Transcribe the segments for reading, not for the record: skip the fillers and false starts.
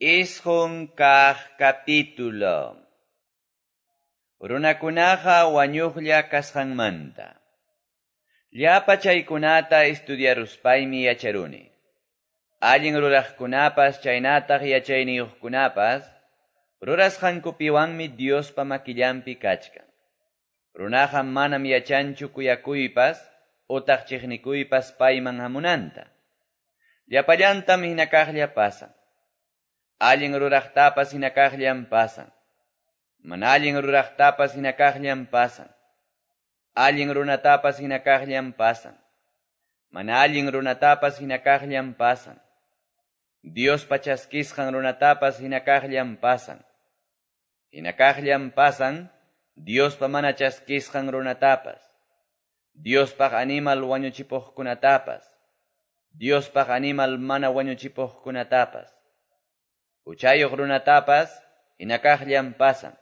9 kaq capítulo. Runakunaqa wañuqlla kasqanmanta. Llapa chaykunata estudiaruspaymi yacharuni. Allin ruraqkunapas chaynataq yachayniyuqkunapas rurasqankupiwanmi Diospa makillanpi kachkan. Runaqa manam yachanchu kuyakuypas utaq chiqnikuypas payman hamunanta. Llapallantam hinakaqlla pasan. Allin ruraqtapas hinakaqllam pasan. Mana allin ruraqtapas hinakaqllam pasan. Allin runatapas hinakaqllam pasan. Mana allin runatapas hinakaqllam pasan. Diospa chaskisqan runatapas hinakaqllam pasan. Hinakaqllam pasan Diospa mana chaskisqan runatapas. Diospaq animal wañuchipuqkunatapas. Diospaq animal mana wañuchipuqkunatapas. Huchayuq runatapas hinakaqllam pasan.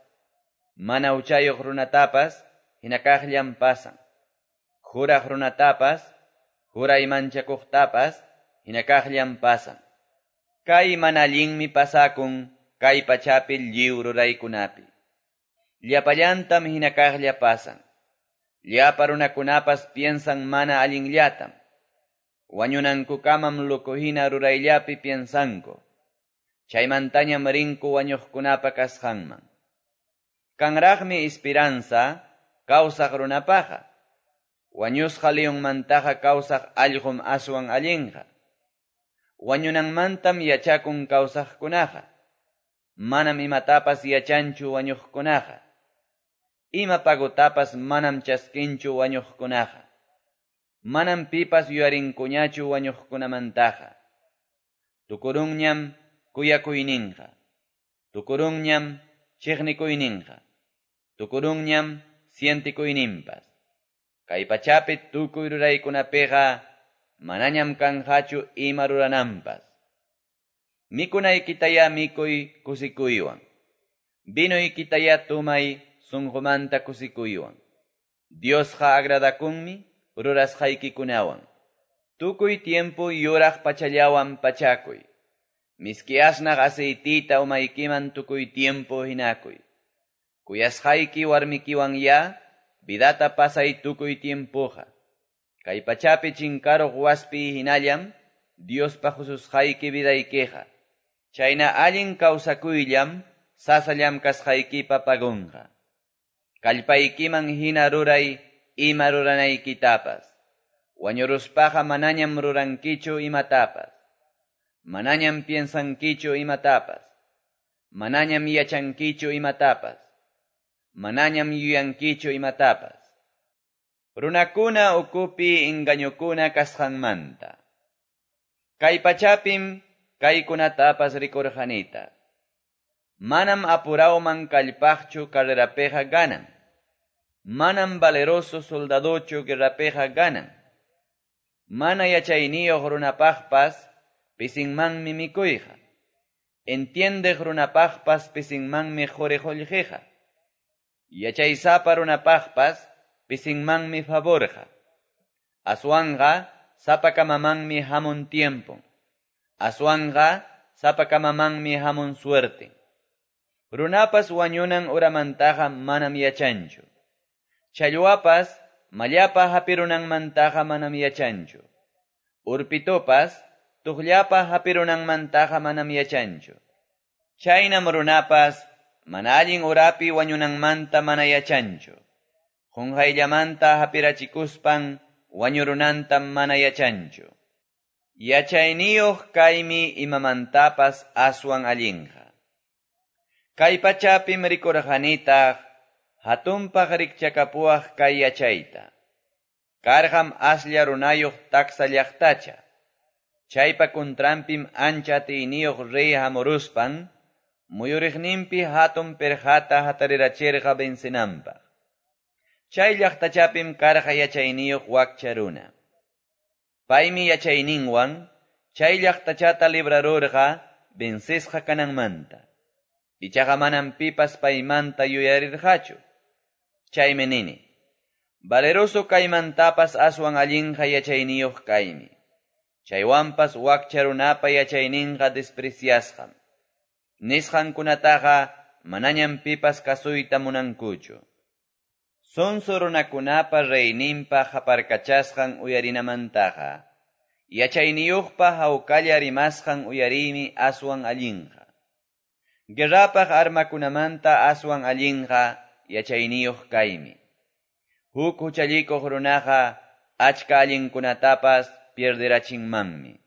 Mana huchayuq runatapas hinakaqllam pasan. Juraq runatapas, juray manchakuqtapas hinakaqllam pasan. Kay mana allinmi pasakun kay pachapi lliw ruraykunapi. Llapallantam hinakaqlla pasan. Llapa runakunapas piensan mana allinllatam. Wañunankukamam loco hina rurayllapi piensanku. Chaymantañam rinku wañuqkunapa kasqanman. Kanraqmi esperanza kawsaq runapaqa. Wañusqa leonmantaqa kawsaq allqum aswan allinqa. Wañunanmantam yachakun kawsaqkunaqa. Manam imatapas yachanchu wañuqkunaqa. Ima pagotapas manam chaskinchu wañuqkunaqa. Manam pipas yuyarinkuñachu wañuqkunamantaqa. Tukurunñam kuyakuyninqa. Tukurunñam chiqnikuyninqa. Tukurunñam sientikuyninpas. Kay pachapi tukuy ruraykunapiqa manañam kanqachu ima rurananpas. Mikunaykitaya mikuy kusikuywan. Vinoykitaya tumay sunqumanta kusikuywan. Diosqa agradakunmi rurasqaykikunawan. Tukuy tiempo yuraq pachallawan pachakuy. Miski asnaq aceitita umaykiman tukuy tiempo hinakuy. Kuyasqayki warmikiwan ya, vidata pasay tukuy tiempoqa. Kay pachapi chinkaruq waspi hinallam, Diospa hususqayki vidaykiqa. Chayna allin kawsakuyllam, sasallam kasqaykipa pagunqa. Kallpaykiman hina ruray ima ruranaykitapas. Wañuruspaqa manañam rurankichu imatapas. Manañam piensankichu imatapas. Manañam yachankichu imatapas. Manañam yuyankichu imatapas. Runakuna ukupi engañukuna kasqanmanta. Kay pachapim kaykunatapas rikurqanita. Manam apurawman kallpaqchu carrerapiqa ganan. Manam valeroso soldadochu guerrapiqa ganan. Mana yachayniyuq runapaqpas pisinmanmi mikuyqa. Entiendeq runapaqpas pisinmanmi quri qullqiqa. Yachaysapa runapaqpas pisinmanmi favorqa. Aswanqa sapakamamanmi hamun tiempon. Aswanqa sapakamamanmi hamun suerte. Runapas wañunan uramantaqa manam yachanchu. Challwapas mallapa hapirunanmantaqa manam yachanchu. Urpitupas tuqllapa hapirunanmantaqa manam yachanchu. Chaynam runapas mana allin urapi wañunanmanta mana yachanchu. Qunqayllamanta hapirachikuspan wañurunantam mana yachanchu. Yachayniyuq kaymi imamantapas aswan allinqa. Kay pachapim rikurqanitaq hatunpaq rikchakapuwaq kay yachayta. Karqam aslla runayuq taksa llaqtacha. Chaypa kuntranpim ancha atiyniyuq rey hamuruspan muyuriqninpi hatun pirqata hatarirachirqa vencenanpaq. Chay llaqtachapim karqa yachayniyuq wakcha runa. Paymi yachayninwan chay llaqtachata librarurqa vencesqa kananmanta. Ichaqa manam pipas paymanta yuyarirqachu. Chaymi nini, valeroso kaymantapas aswan allinqa yachayniyuq kaymi. Chaywanpas wakcha runapa yachayninqa despreciasqam. Nisqankunataqa manañam pipas kasuyta munankuchu. Sonso runakunapa reyninpa qaparkachasqan uyarinamantaqa, yachayniyuqpa hawkalla rimasqan uyariymi aswan allinqa. Guerrapaq armakunamanta aswan allinqa yachayniyuq kaymi. Huk huchallikuq runaqa achka allinkunatapas pierderachinmanmi.